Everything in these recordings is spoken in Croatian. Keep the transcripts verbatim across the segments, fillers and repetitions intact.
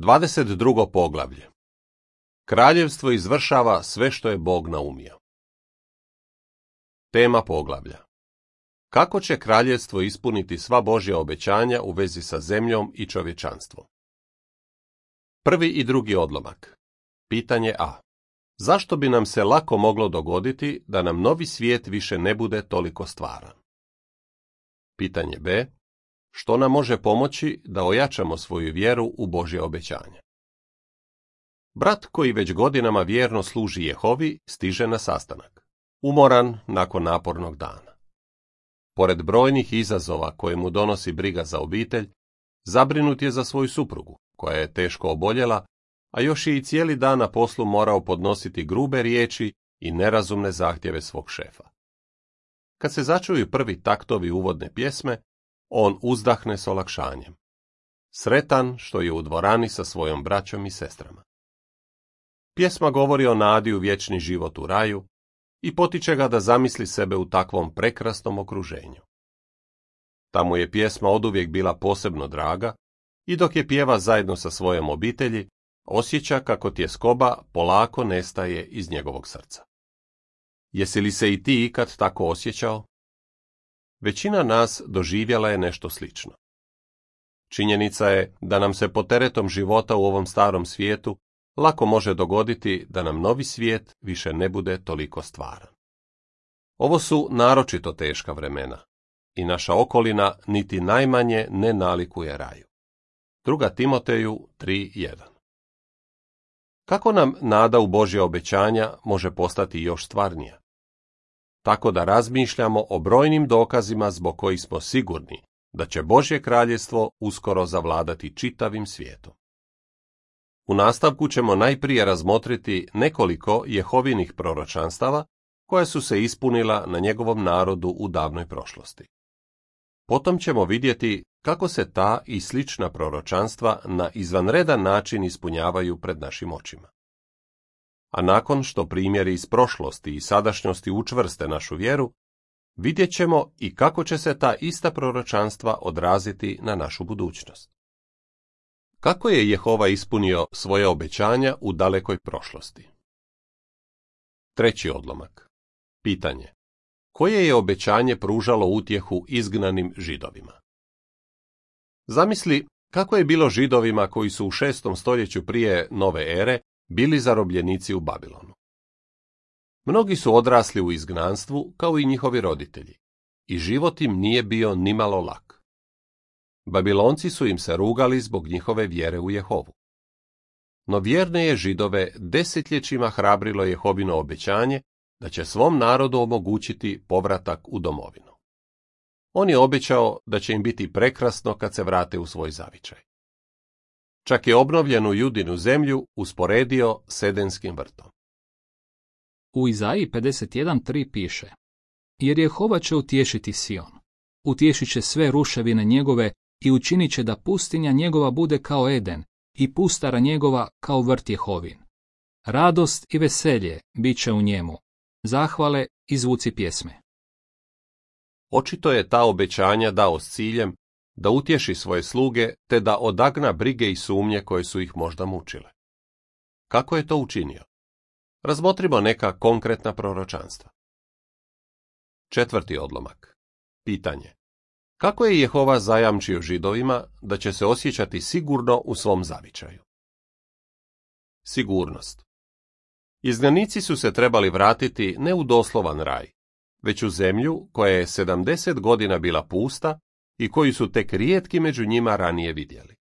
dvadeset drugo poglavlje. Kraljevstvo izvršava sve što je Bog naumio. Tema poglavlja. Kako će kraljevstvo ispuniti sva Božja obećanja u vezi sa zemljom i čovječanstvom? Prvi i drugi odlomak. Pitanje A. Zašto bi nam se lako moglo dogoditi da nam novi svijet više ne bude toliko stvaran? Pitanje B. Što nam može pomoći da ojačamo svoju vjeru u Božje obećanja? Brat koji već godinama vjerno služi Jehovi stiže na sastanak, umoran nakon napornog dana. Pored brojnih izazova koje mu donosi briga za obitelj, zabrinut je za svoju suprugu, koja je teško oboljela, a još je i cijeli dan na poslu morao podnositi grube riječi i nerazumne zahtjeve svog šefa. Kad se začuju prvi taktovi uvodne pjesme, on uzdahne s olakšanjem. Sretan što je u dvorani sa svojom braćom i sestrama. Pjesma govori o nadi u vječni život u raju i potiče ga da zamisli sebe u takvom prekrasnom okruženju. Tamo je pjesma oduvijek bila posebno draga i dok je pjeva zajedno sa svojom obitelji, osjeća kako tjeskoba polako nestaje iz njegovog srca. Jesi li se i ti ikad tako osjećao? Većina nas doživjela je nešto slično. Činjenica je da nam se pod teretom života u ovom starom svijetu lako može dogoditi da nam novi svijet više ne bude toliko stvaran. Ovo su naročito teška vremena i naša okolina niti najmanje ne nalikuje raju. Druga Timoteju tri jedan. Kako nam nada u Božja obećanja može postati još stvarnija? Tako da razmišljamo o brojnim dokazima zbog kojih smo sigurni da će Božje kraljevstvo uskoro zavladati čitavim svijetom. U nastavku ćemo najprije razmotriti nekoliko Jehovinih proročanstava koja su se ispunila na njegovom narodu u davnoj prošlosti. Potom ćemo vidjeti kako se ta i slična proročanstva na izvanredan način ispunjavaju pred našim očima. A nakon što primjeri iz prošlosti i sadašnjosti učvrste našu vjeru, vidjet ćemo i kako će se ta ista proročanstva odraziti na našu budućnost. Kako je Jehova ispunio svoje obećanja u dalekoj prošlosti? Treći odlomak. Pitanje. Koje je obećanje pružalo utjehu izgnanim Židovima? Zamisli kako je bilo Židovima koji su u šestom stoljeću prije nove ere bili zarobljenici u Babilonu. Mnogi su odrasli u izgnanstvu kao i njihovi roditelji i život im nije bio nimalo lak. Babilonci su im se rugali zbog njihove vjere u Jehovu. No vjerne je Židove desetljećima hrabrilo Jehovino obećanje da će svom narodu omogućiti povratak u domovinu. On je obećao da će im biti prekrasno kad se vrate u svoj zavičaj. Čak je obnovljenu Judinu zemlju usporedio s Edenskim vrtom. U Izaiji pedeset jedan tri piše: Jer Jehova će utješiti Sion, utješit će sve ruševine njegove i učinit će da pustinja njegova bude kao Eden i pustara njegova kao vrt Jehovin. Radost i veselje bit će u njemu, zahvale i zvuci pjesme. Očito je ta obećanja dao s ciljem da utješi svoje sluge te da odagna brige i sumnje koje su ih možda mučile. Kako je to učinio? Razmotrimo neka konkretna proročanstva. Četvrti odlomak. Pitanje. Kako je Jehova zajamčio Židovima da će se osjećati sigurno u svom zavičaju? Sigurnost. Izgnanici su se trebali vratiti ne u doslovan raj, već u zemlju koja je sedamdeset godina bila pusta i koju su tek rijetki među njima ranije vidjeli.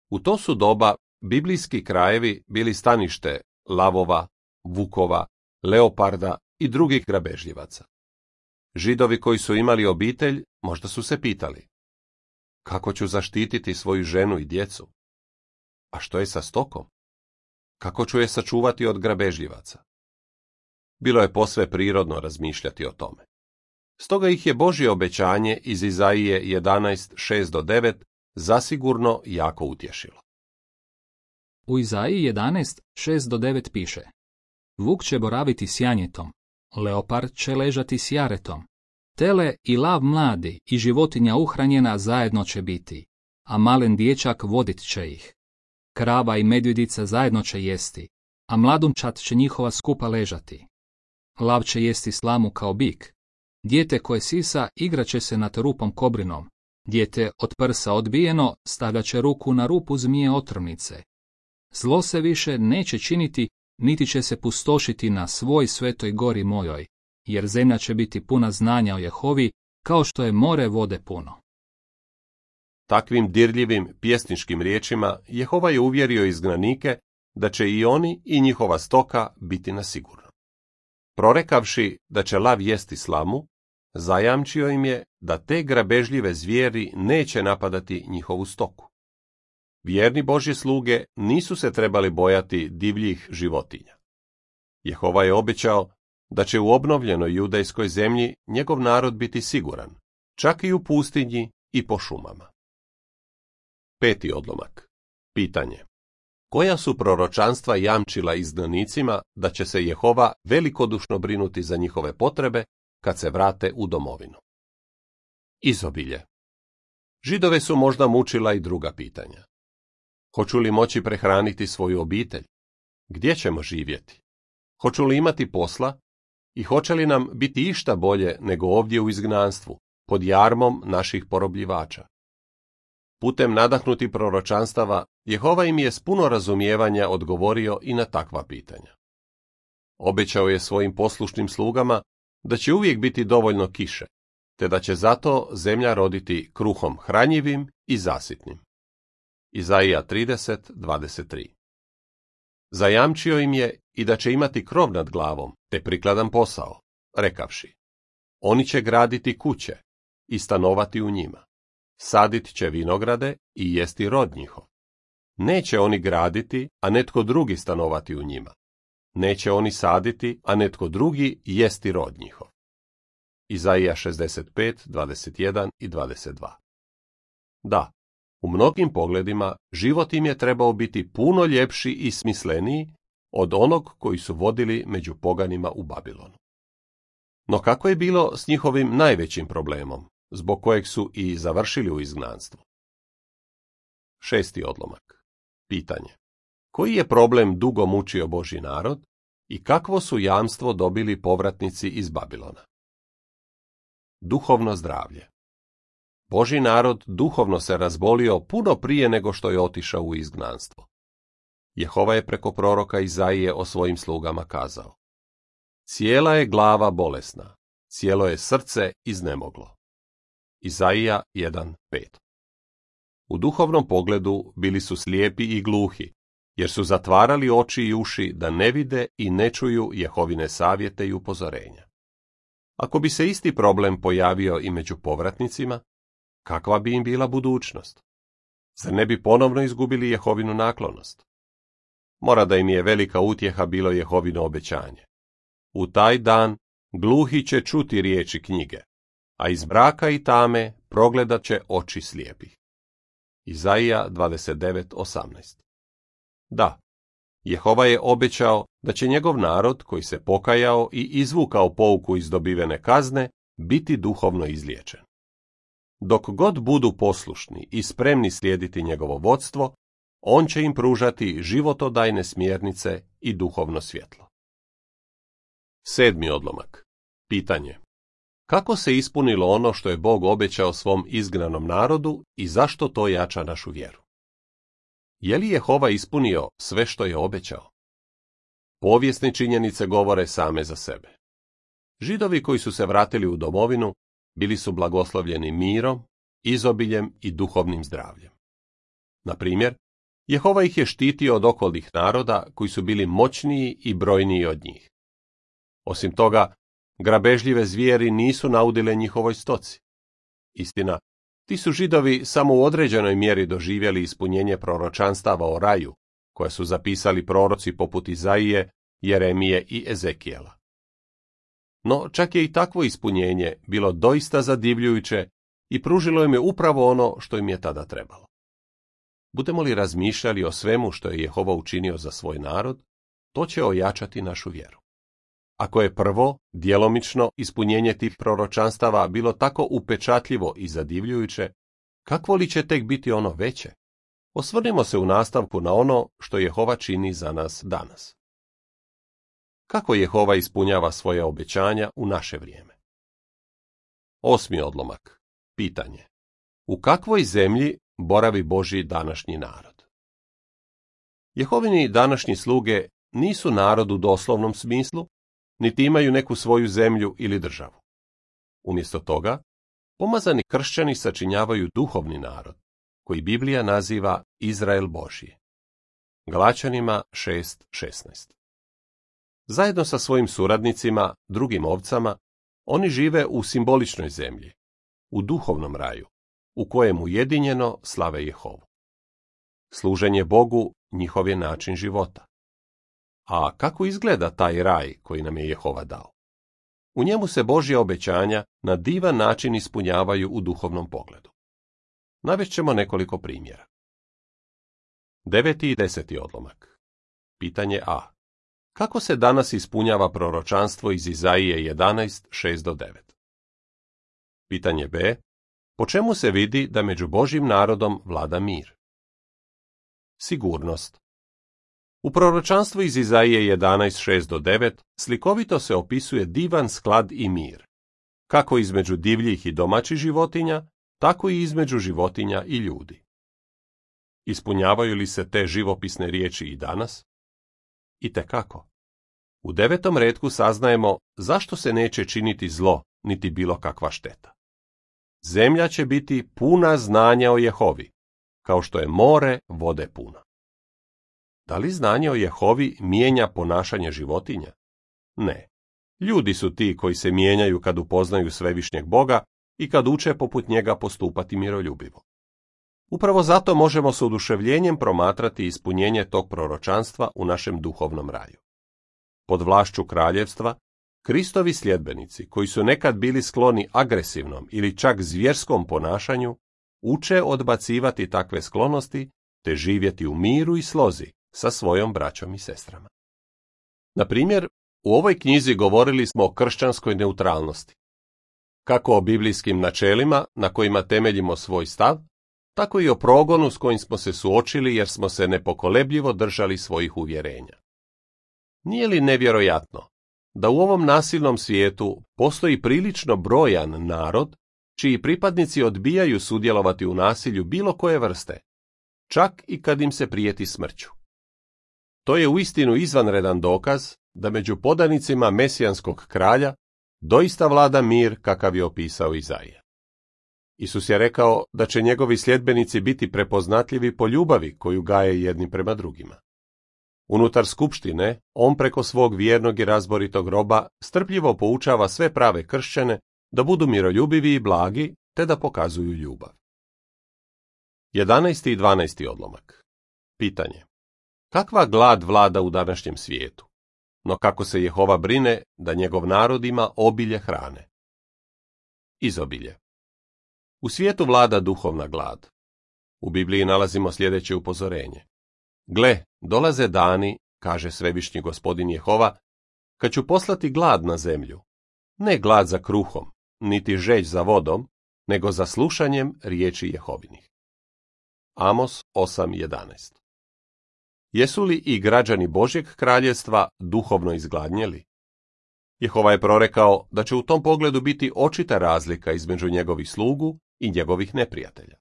U to su doba biblijski krajevi bili stanište lavova, vukova, leoparda i drugih grabežljivaca. Židovi koji su imali obitelj možda su se pitali: kako ću zaštititi svoju ženu i djecu? A što je sa stokom? Kako ću je sačuvati od grabežljivaca? Bilo je posve prirodno razmišljati o tome. Stoga ih je Božje obećanje iz Izaije jedanaest šest do devet zasigurno jako utješilo. U Izaiji jedanaest šest do devet piše: Vuk će boraviti s janjetom, leopard će ležati s jaretom, tele i lav mladi i životinja uhranjena zajedno će biti, a malen dječak vodit će ih. krava i medvjedica zajedno će jesti, a mladunčad će njihova skupa ležati. Lav će jesti slamu kao bik. Dijete koje sisa igrat će se nad rupom kobrinom. Dijete od prsa odbijeno stavljat će ruku na rupu zmije otrovnice. Zlo se više neće činiti, niti će se pustošiti na svoj svetoj gori mojoj, jer zemlja će biti puna znanja o Jehovi, kao što je more vode puno. Takvim dirljivim pjesničkim riječima Jehova je uvjerio izgnanike da će i oni i njihova stoka biti na sigurno. Prorekavši da će lav jesti slamu, zajamčio im je da te grabežljive zvijeri neće napadati njihovu stoku. Vjerni Božje sluge nisu se trebali bojati divljih životinja. Jehova je obećao da će u obnovljenoj judejskoj zemlji njegov narod biti siguran, čak i u pustinji i po šumama. Peti odlomak. Pitanje. Koja su proročanstva jamčila izgnanicima da će se Jehova velikodušno brinuti za njihove potrebe kad se vrate u domovinu? Izobilje. Židove su možda mučila i druga pitanja. Hoću li moći prehraniti svoju obitelj? Gdje ćemo živjeti? Hoću li imati posla? I hoće li nam biti išta bolje nego ovdje u izgnanstvu, pod jarmom naših porobljivača? Putem nadahnutih proročanstava, Jehova im je s puno razumijevanja odgovorio i na takva pitanja. Obećao je svojim poslušnim slugama da će uvijek biti dovoljno kiše, te da će zato zemlja roditi kruhom hranjivim i zasitnim. Izaija trideset dvadeset tri. Zajamčio im je i da će imati krov nad glavom, te prikladan posao, rekavši: oni će graditi kuće i stanovati u njima. Sadit će vinograde i jesti rod njihov. Neće oni graditi, a netko drugi stanovati u njima. Neće oni saditi, a netko drugi jesti rod njihov. Izaija šezdeset pet dvadeset jedan i dvadeset dva. Da, u mnogim pogledima život im je trebao biti puno ljepši i smisleniji od onog koji su vodili među poganima u Babilonu. No kako je bilo s njihovim najvećim problemom, zbog kojeg su i završili u izgnanstvu? Šesti odlomak. Pitanje. Koji je problem dugo mučio Božji narod i kakvo su jamstvo dobili povratnici iz Babilona? Duhovno zdravlje. Božji narod duhovno se razbolio puno prije nego što je otišao u izgnanstvo. Jehova je preko proroka Izaije o svojim slugama kazao: cijela je glava bolesna, cijelo je srce iznemoglo. Izaija jedan pet. U duhovnom pogledu bili su slijepi i gluhi, jer su zatvarali oči i uši da ne vide i ne čuju Jehovine savjete i upozorenja. Ako bi se isti problem pojavio i među povratnicima, kakva bi im bila budućnost? Zar ne bi ponovno izgubili Jehovinu naklonost? Mora da im je velika utjeha bilo Jehovino obećanje. U taj dan gluhi će čuti riječi knjige, a iz mraka i tame progledat će oči slijepih. Izaija dvadeset devet osamnaest. Da, Jehova je obećao da će njegov narod, koji se pokajao i izvukao pouku iz dobivene kazne, biti duhovno izliječen. Dok god budu poslušni i spremni slijediti njegovo vodstvo, on će im pružati životodajne smjernice i duhovno svjetlo. Sedmi odlomak. Pitanje. Kako se ispunilo ono što je Bog obećao svom izgnanom narodu i zašto to jača našu vjeru? Je li Jehova ispunio sve što je obećao? Povijesne činjenice govore same za sebe. Židovi koji su se vratili u domovinu bili su blagoslovljeni mirom, izobiljem i duhovnim zdravljem. Na primjer, Jehova ih je štitio od okolnih naroda koji su bili moćniji i brojniji od njih. Osim toga, grabežljive zvijeri nisu naudile njihovoj stoci. Istina, ti su Židovi samo u određenoj mjeri doživjeli ispunjenje proročanstava o raju, koje su zapisali proroci poput Izaije, Jeremije i Ezekijela. No, čak je i takvo ispunjenje bilo doista zadivljujuće i pružilo im je upravo ono što im je tada trebalo. Budemo li razmišljali o svemu što je Jehova učinio za svoj narod, to će ojačati našu vjeru. Ako je prvo, djelomično, ispunjenje tih proročanstava bilo tako upečatljivo i zadivljujuće, kakvo li će tek biti ono veće? Osvrnimo se u nastavku na ono što Jehova čini za nas danas. Kako Jehova ispunjava svoje obećanja u naše vrijeme? Osmi odlomak. Pitanje. U kakvoj zemlji boravi Božji današnji narod? Jehovini današnji sluge nisu narod u doslovnom smislu, niti imaju neku svoju zemlju ili državu. Umjesto toga, pomazani kršćani sačinjavaju duhovni narod, koji Biblija naziva Izrael Božji. Galačanima šest šesnaest. Zajedno sa svojim suradnicima, drugim ovcama, oni žive u simboličnoj zemlji, u duhovnom raju, u kojem ujedinjeno slave Jehovu. Služenje Bogu njihov je način života. A kako izgleda taj raj koji nam je Jehova dao? U njemu se Božja obećanja na divan način ispunjavaju u duhovnom pogledu. Navest ćemo nekoliko primjera. Deveti i deseti odlomak. Pitanje A. Kako se danas ispunjava proročanstvo iz Izaije jedanaest šest do devet? Pitanje B. Po čemu se vidi da među Božjim narodom vlada mir? Sigurnost. U proročanstvu iz Izaije jedanaest šest do devet slikovito se opisuje divan sklad i mir, kako između divljih i domaćih životinja, tako i između životinja i ljudi. Ispunjavaju li se te živopisne riječi i danas? Itekako. U devetom retku saznajemo zašto se neće činiti zlo, niti bilo kakva šteta. Zemlja će biti puna znanja o Jehovi, kao što je more vode puno. Da li znanje o Jehovi mijenja ponašanje životinja? Ne. Ljudi su ti koji se mijenjaju kad upoznaju svevišnjeg Boga i kad uče poput njega postupati miroljubivo. Upravo zato možemo s oduševljenjem promatrati ispunjenje tog proročanstva u našem duhovnom raju. Pod vlašću kraljevstva, Kristovi sljedbenici, koji su nekad bili skloni agresivnom ili čak zvjerskom ponašanju, uče odbacivati takve sklonosti te živjeti u miru i slozi sa svojom braćom i sestrama. Na primjer, u ovoj knjizi govorili smo o kršćanskoj neutralnosti, kako o biblijskim načelima na kojima temeljimo svoj stav, tako i o progonu s kojim smo se suočili jer smo se nepokolebljivo držali svojih uvjerenja. Nije li nevjerojatno da u ovom nasilnom svijetu postoji prilično brojan narod čiji pripadnici odbijaju sudjelovati u nasilju bilo koje vrste, čak i kad im se prijeti smrću? To je uistinu izvanredan dokaz da među podanicima mesijanskog kralja doista vlada mir kakav je opisao Izaija. Isus je rekao da će njegovi sljedbenici biti prepoznatljivi po ljubavi koju gaje jedni prema drugima. Unutar skupštine, on preko svog vjernog i razboritog roba strpljivo poučava sve prave kršćane da budu miroljubivi i blagi, te da pokazuju ljubav. jedanaesti i dvanaesti odlomak. Pitanje. Kakva glad vlada u današnjem svijetu? No kako se Jehova brine da njegov narod ima obilje hrane? Izobilje. U svijetu vlada duhovna glad. U Bibliji nalazimo sljedeće upozorenje. Gle, dolaze dani, kaže svevišnji gospodin Jehova, kad ću poslati glad na zemlju. Ne glad za kruhom, niti žeđ za vodom, nego za slušanjem riječi Jehovinih. Amos osam jedanaest. Jesu li i građani Božjeg kraljevstva duhovno izgladnjeli? Jehova je prorekao da će u tom pogledu biti očita razlika između njegovih slugu i njegovih neprijatelja.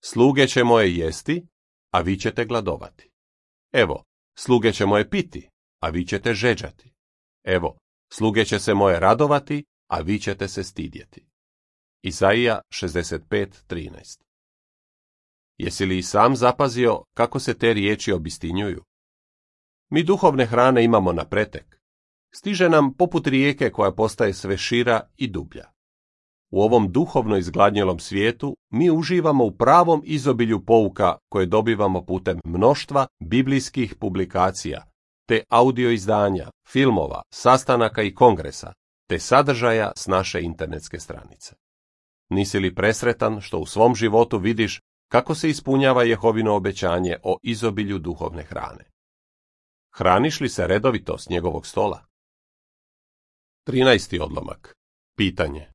Sluge će moje jesti, a vi ćete gladovati. Evo, sluge će moje piti, a vi ćete žeđati. Evo, sluge će se moje radovati, a vi ćete se stidjeti. Izaija šezdeset pet trinaest. Jesi li i sam zapazio kako se te riječi obistinjuju? Mi duhovne hrane imamo na pretek. Stiže nam poput rijeke koja postaje sve šira i dublja. U ovom duhovno izgladnjelom svijetu mi uživamo u pravom izobilju pouka koje dobivamo putem mnoštva biblijskih publikacija, te audio izdanja, filmova, sastanaka i kongresa, te sadržaja s naše internetske stranice. Nisi li presretan što u svom životu vidiš kako se ispunjava Jehovino obećanje o izobilju duhovne hrane? Hraniš li se redovito s njegovog stola? trinaesti odlomak. Pitanje.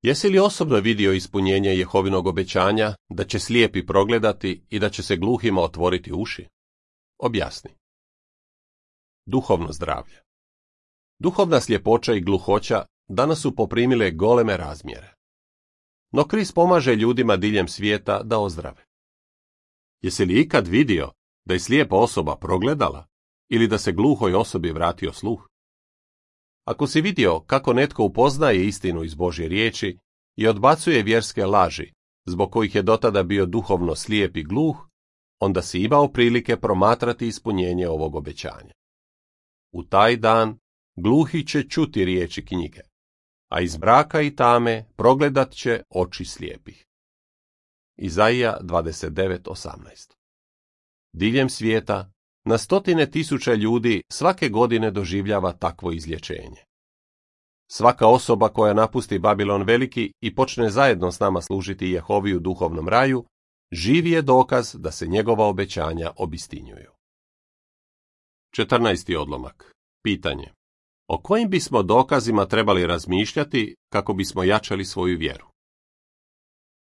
Jesi li osobno vidio ispunjenje Jehovinog obećanja da će slijepi progledati i da će se gluhima otvoriti uši? Objasni. Duhovno zdravlje. Duhovna sljepoća i gluhoća danas su poprimile goleme razmjere. No Krist pomaže ljudima diljem svijeta da ozdrave. Jesi li ikad vidio da je slijepa osoba progledala ili da se gluhoj osobi vratio sluh? Ako si vidio kako netko upoznaje istinu iz Božje riječi i odbacuje vjerske laži, zbog kojih je dotada bio duhovno slijep i gluh, onda si imao prilike promatrati ispunjenje ovog obećanja. U taj dan gluhi će čuti riječi knjige, a iz mraka i tame progledat će oči slijepih. Izaija dvadeset devet osamnaest. Diljem svijeta na stotine tisuća ljudi svake godine doživljava takvo izlječenje. Svaka osoba koja napusti Babilon veliki i počne zajedno s nama služiti Jehovi u duhovnom raju, živi je dokaz da se njegova obećanja obistinjuju. četrnaesti odlomak. Pitanje. O kojim bismo dokazima trebali razmišljati kako bismo jačali svoju vjeru?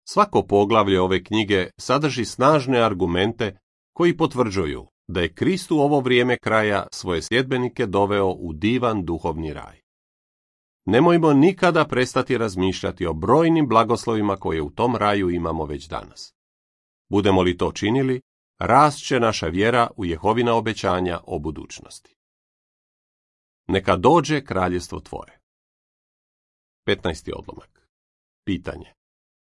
Svako poglavlje ove knjige sadrži snažne argumente koji potvrđuju da je Krist u ovo vrijeme kraja svoje sljedbenike doveo u divan duhovni raj. Nemojmo nikada prestati razmišljati o brojnim blagoslovima koje u tom raju imamo već danas. Budemo li to činili, rast će naša vjera u Jehovina obećanja o budućnosti. Neka dođe kraljestvo tvoje. petnaesti odlomak. Pitanje.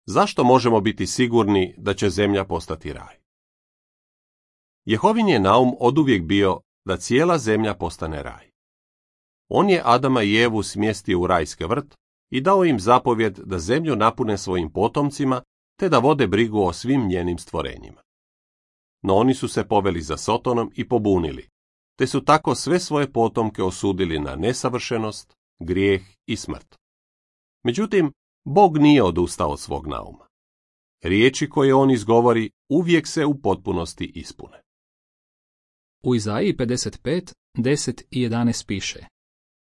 Zašto možemo biti sigurni da će zemlja postati raj? Jehovin je naum oduvijek bio da cijela zemlja postane raj. On je Adama i Evu smjestio u rajski vrt i dao im zapovjed da zemlju napune svojim potomcima te da vode brigu o svim njenim stvorenjima. No oni su se poveli za Sotonom i pobunili, te su tako sve svoje potomke osudili na nesavršenost, grijeh i smrt. Međutim, Bog nije odustao od svog nauma. Riječi koje on izgovori uvijek se u potpunosti ispune. U Izaiji pedeset pet, deset i jedanaest piše: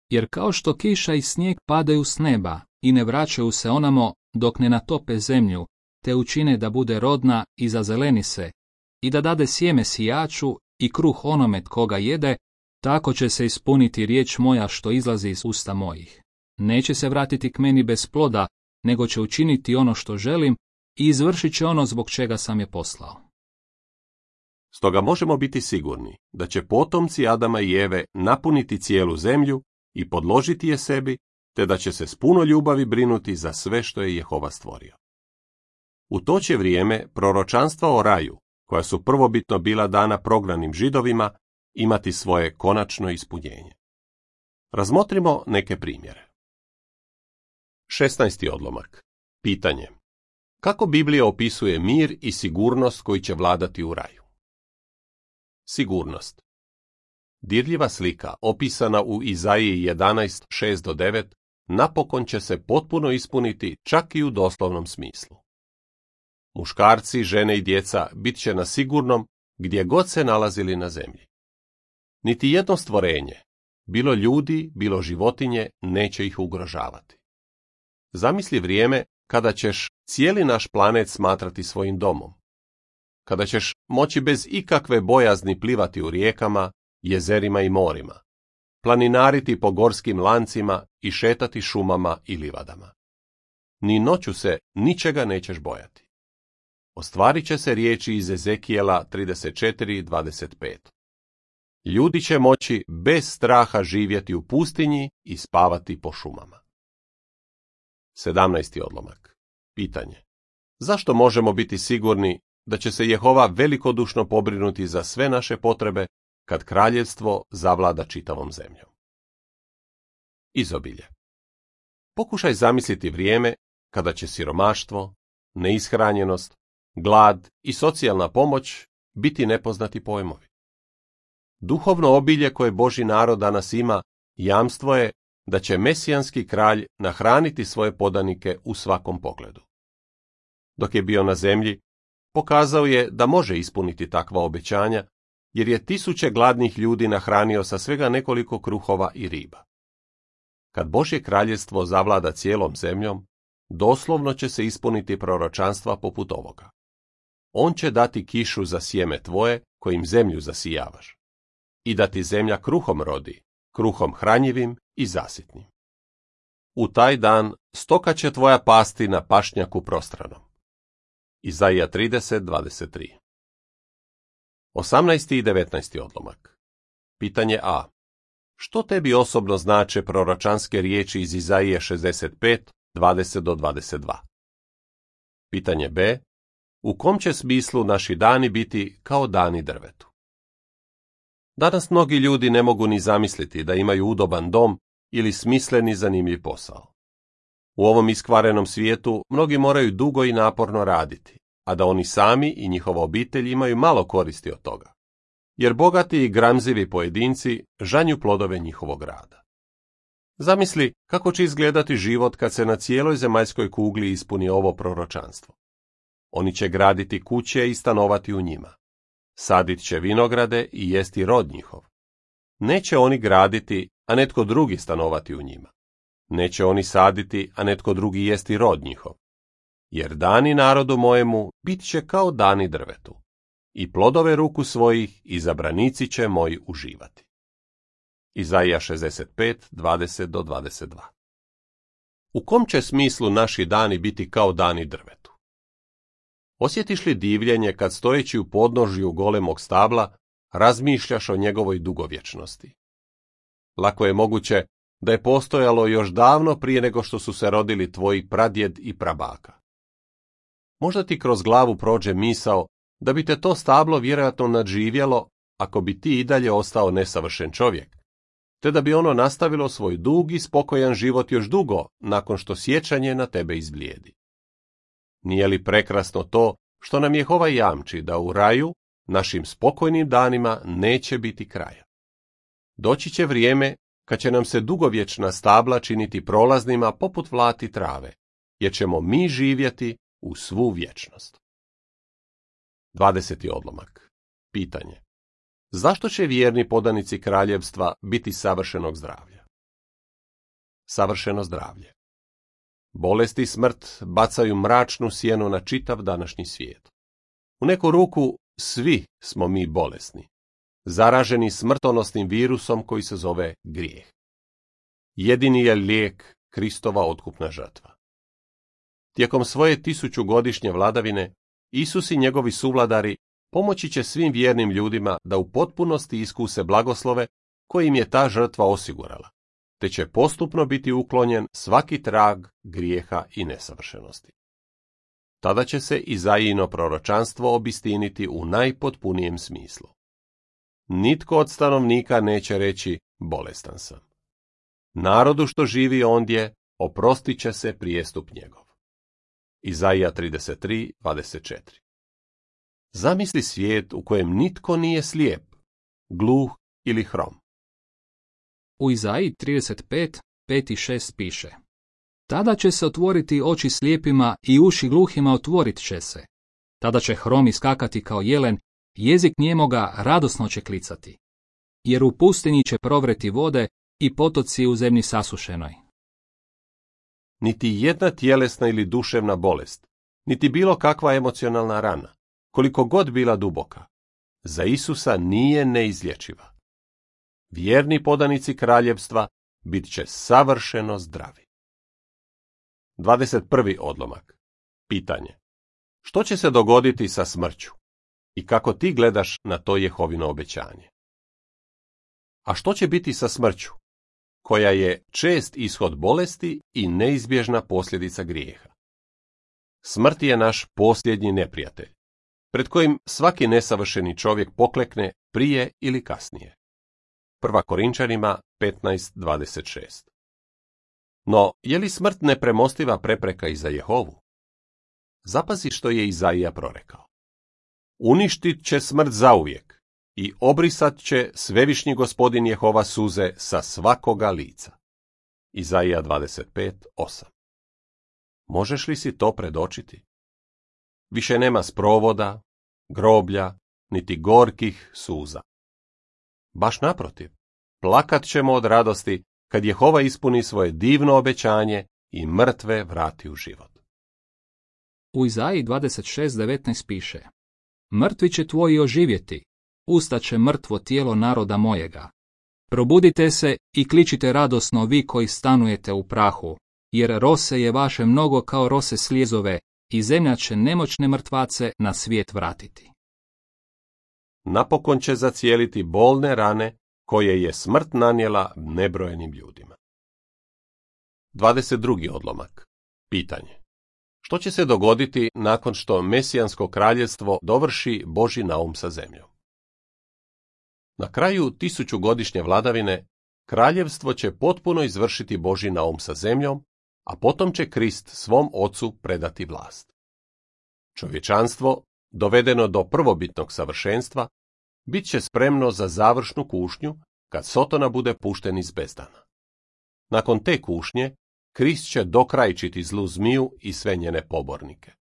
Jer kao što kiša i snijeg padaju s neba i ne vraćaju se onamo dok ne natope zemlju, te učine da bude rodna i zazeleni se, i da dade sjeme sijaču i kruh onome tko ga jede, tako će se ispuniti riječ moja što izlazi iz usta mojih. Neće se vratiti k meni bez ploda, nego će učiniti ono što želim i izvršit će ono zbog čega sam je poslao. Stoga možemo biti sigurni da će potomci Adama i Eve napuniti cijelu zemlju i podložiti je sebi, te da će se s puno ljubavi brinuti za sve što je Jehova stvorio. U to će vrijeme proročanstva o raju, koja su prvobitno bila dana prognanim Židovima, imati svoje konačno ispunjenje. Razmotrimo neke primjere. šesnaesti odlomak. Pitanje. Kako Biblija opisuje mir i sigurnost koji će vladati u raju? Sigurnost. Dirljiva slika, opisana u Izaiji jedanaest, šest do devet, napokon će se potpuno ispuniti čak i u doslovnom smislu. Muškarci, žene i djeca bit će na sigurnom gdje god se nalazili na zemlji. Niti jedno stvorenje, bilo ljudi, bilo životinje, neće ih ugrožavati. Zamisli vrijeme kada ćeš cijeli naš planet smatrati svojim domom. Kada ćeš moći bez ikakve bojazni plivati u rijekama, jezerima i morima, planinariti po gorskim lancima i šetati šumama i livadama. Ni noću se ničega nećeš bojati. Ostvarit će se riječi iz Ezekijela trideset četiri dvadeset pet. Ljudi će moći bez straha živjeti u pustinji i spavati po šumama. sedamnaesti odlomak. Pitanje. Zašto možemo biti sigurni da će se Jehova velikodušno pobrinuti za sve naše potrebe kad kraljevstvo zavlada čitavom zemljom? Izobilje. Pokušaj zamisliti vrijeme kada će siromaštvo, neishranjenost, glad i socijalna pomoć biti nepoznati pojmovi. Duhovno obilje koje Božji narod danas ima jamstvo je da će mesijanski kralj nahraniti svoje podanike u svakom pogledu. Dok je bio na zemlji, pokazao je da može ispuniti takva obećanja, jer je tisuće gladnih ljudi nahranio sa svega nekoliko kruhova i riba. Kad Božje kraljevstvo zavlada cijelom zemljom, doslovno će se ispuniti proročanstva poput ovoga. On će dati kišu za sjeme tvoje, kojim zemlju zasijavaš, i da ti zemlja kruhom rodi, kruhom hranjivim i zasitnim. U taj dan stoka će tvoja pasti na pašnjaku prostranom. Izaija trideset dvadeset tri. osamnaesti i devetnaesti odlomak. Pitanje A. Što tebi osobno znače proročanske riječi iz Izaije šezdeset pet, dvadeset do dvadeset dva? Pitanje B. U kom će smislu naši dani biti kao dani drvetu? Danas mnogi ljudi ne mogu ni zamisliti da imaju udoban dom ili smisleni zanimljiv posao. U ovom iskvarenom svijetu mnogi moraju dugo i naporno raditi, a da oni sami i njihova obitelj imaju malo koristi od toga, jer bogati i gramzivi pojedinci žanju plodove njihovog rada. Zamisli kako će izgledati život kad se na cijeloj zemaljskoj kugli ispuni ovo proročanstvo. Oni će graditi kuće i stanovati u njima. Sadit će vinograde i jesti rod njihov. Neće oni graditi, a netko drugi stanovati u njima. Neće oni saditi, a netko drugi jesti rod njihov. Jer dani narodu mojemu bit će kao dani drvetu, i plodove ruku svojih izabranici će moji uživati. Izaija šezdeset pet, dvadeset do dvadeset dva. U kom će smislu naši dani biti kao dani drvetu? Osjetiš li divljenje kad stojeći u podnožju golemog stabla razmišljaš o njegovoj dugovječnosti? Lako je moguće da je postojalo još davno prije nego što su se rodili tvoji pradjed i prabaka. Možda ti kroz glavu prođe misao da bi te to stablo vjerojatno nadživjelo ako bi ti i dalje ostao nesavršen čovjek, te da bi ono nastavilo svoj dug i spokojan život još dugo nakon što sjećanje na tebe izblijedi. Nije li prekrasno to što nam Jehova jamči da u raju našim spokojnim danima neće biti kraja? Doći će vrijeme kad će nam se dugovječna stabla činiti prolaznima poput vlati trave, jer ćemo mi živjeti u svu vječnost. dvadeseti odlomak. Pitanje. Zašto će vjerni podanici kraljevstva biti savršenog zdravlja? Savršeno zdravlje. Bolest i smrt bacaju mračnu sjenu na čitav današnji svijet. U neku ruku svi smo mi bolesni, zaraženi smrtonosnim virusom koji se zove grijeh. Jedini je lijek Kristova otkupna žrtva. Tijekom svoje tisućugodišnje vladavine, Isus i njegovi suvladari pomoći će svim vjernim ljudima da u potpunosti iskuse blagoslove koje im je ta žrtva osigurala, te će postupno biti uklonjen svaki trag grijeha i nesavršenosti. Tada će se Izajino proročanstvo obistiniti u najpotpunijem smislu. Nitko od stanovnika neće reći bolestan sam. Narodu što živi ondje oprostit će se prijestup njegov. Izaija trideset tri, dvadeset četiri. Zamisli svijet u kojem nitko nije slijep, gluh ili hrom. U Izaiji trideset pet, pet i šest piše: Tada će se otvoriti oči slijepima i uši gluhima otvorit će se. Tada će hrom iskakati kao jelen, jezik njemoga radosno će klicati. Jer u pustinji će provreti vode i potoci u zemlji sasušenoj. Niti jedna tjelesna ili duševna bolest, niti bilo kakva emocionalna rana, koliko god bila duboka, za Isusa nije neizlječiva. Vjerni podanici kraljevstva bit će savršeno zdravi. dvadeset prvi odlomak. Pitanje. Što će se dogoditi sa smrću? I kako ti gledaš na to Jehovino obećanje? A što će biti sa smrću, koja je čest ishod bolesti i neizbježna posljedica grijeha? Smrt je naš posljednji neprijatelj, pred kojim svaki nesavršeni čovjek poklekne prije ili kasnije. Prva Korinčanima petnaest dvadeset šest. No, je li smrt nepremostiva prepreka i za Jehovu? Zapazi što je Izaija prorekao. Uništit će smrt zauvijek i obrisat će svevišnji gospodin Jehova suze sa svakoga lica. Izaija dvadeset pet, osam. Možeš li si to predočiti? Više nema sprovoda, groblja, niti gorkih suza. Baš naprotiv, plakat ćemo od radosti kad Jehova ispuni svoje divno obećanje i mrtve vrati u život. U Izaiji dvadeset šest devetnaest piše: Mrtvi će tvoji oživjeti, ustaće mrtvo tijelo naroda mojega. Probudite se i kličite radosno vi koji stanujete u prahu, jer rose je vaše mnogo kao rose slijezove i zemlja će nemoćne mrtvace na svijet vratiti. Napokon će zacijeliti bolne rane koje je smrt nanijela nebrojenim ljudima. dvadeset drugi odlomak. Pitanje. Što će se dogoditi nakon što Mesijansko kraljevstvo dovrši Božji naum sa zemljom? Na kraju tisućugodišnje vladavine, kraljevstvo će potpuno izvršiti Božji naum sa zemljom, a potom će Krist svom ocu predati vlast. Čovječanstvo, dovedeno do prvobitnog savršenstva, bit će spremno za završnu kušnju kad Sotona bude pušten iz bezdana. Nakon te kušnje, Krist će dokrajčiti zlu zmiju i sve njene pobornike.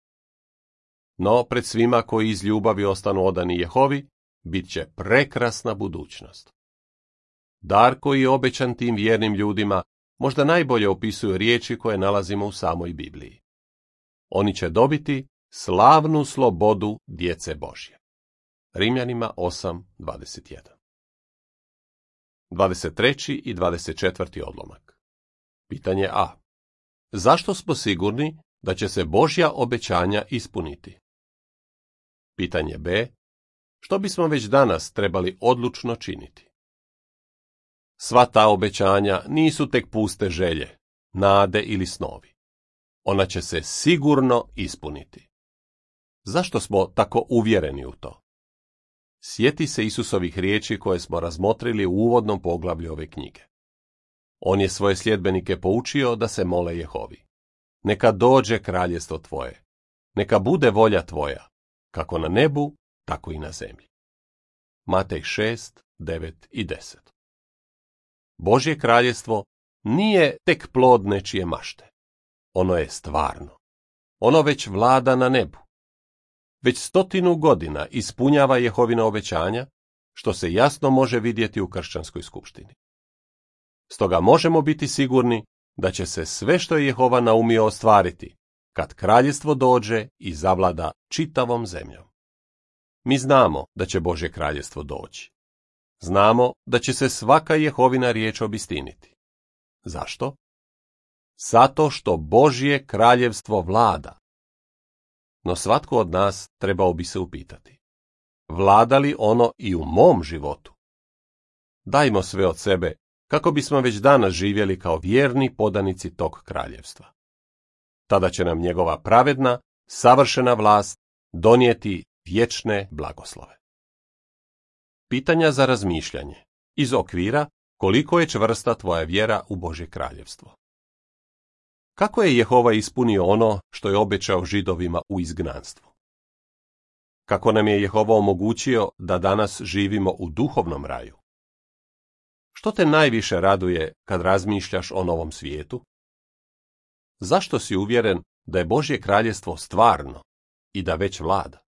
No, pred svima koji iz ljubavi ostanu odani Jehovi, bit će prekrasna budućnost. Dar koji je obećan tim vjernim ljudima možda najbolje opisuju riječi koje nalazimo u samoj Bibliji. Oni će dobiti slavnu slobodu djece Božje. Rimljanima osam dvadeset jedan. dvadeset treći i dvadeset četvrti odlomak. Pitanje A. Zašto smo sigurni da će se Božja obećanja ispuniti? Pitanje B. Što bismo već danas trebali odlučno činiti? Sva ta obećanja nisu tek puste želje, nade ili snovi. Ona će se sigurno ispuniti. Zašto smo tako uvjereni u to? Sjeti se Isusovih riječi koje smo razmotrili u uvodnom poglavlju ove knjige. On je svoje sljedbenike poučio da se mole Jehovi. Neka dođe kraljestvo tvoje, neka bude volja tvoja, kako na nebu, tako i na zemlji. Matej šest, devet i deset. Božje kraljestvo nije tek plod nečije mašte. Ono je stvarno. Ono već vlada na nebu. Već stotinu godina ispunjava Jehovina obećanja, što se jasno može vidjeti u kršćanskoj skupštini. Stoga možemo biti sigurni da će se sve što je Jehova naumio ostvariti, kad kraljestvo dođe i zavlada čitavom zemljom. Mi znamo da će Božje kraljestvo doći. Znamo da će se svaka Jehovina riječ obistiniti. Zašto? Zato što Božje kraljevstvo vlada. No svatko od nas trebao bi se upitati: vlada li ono i u mom životu? Dajmo sve od sebe kako bismo već danas živjeli kao vjerni podanici tog kraljevstva. Tada će nam njegova pravedna, savršena vlast donijeti vječne blagoslove. Pitanja za razmišljanje iz okvira koliko je čvrsta tvoja vjera u Božje kraljevstvo. Kako je Jehova ispunio ono što je obećao Židovima u izgnanstvu? Kako nam je Jehova omogućio da danas živimo u duhovnom raju? Što te najviše raduje kad razmišljaš o novom svijetu? Zašto si uvjeren da je Božje kraljevstvo stvarno i da već vlada?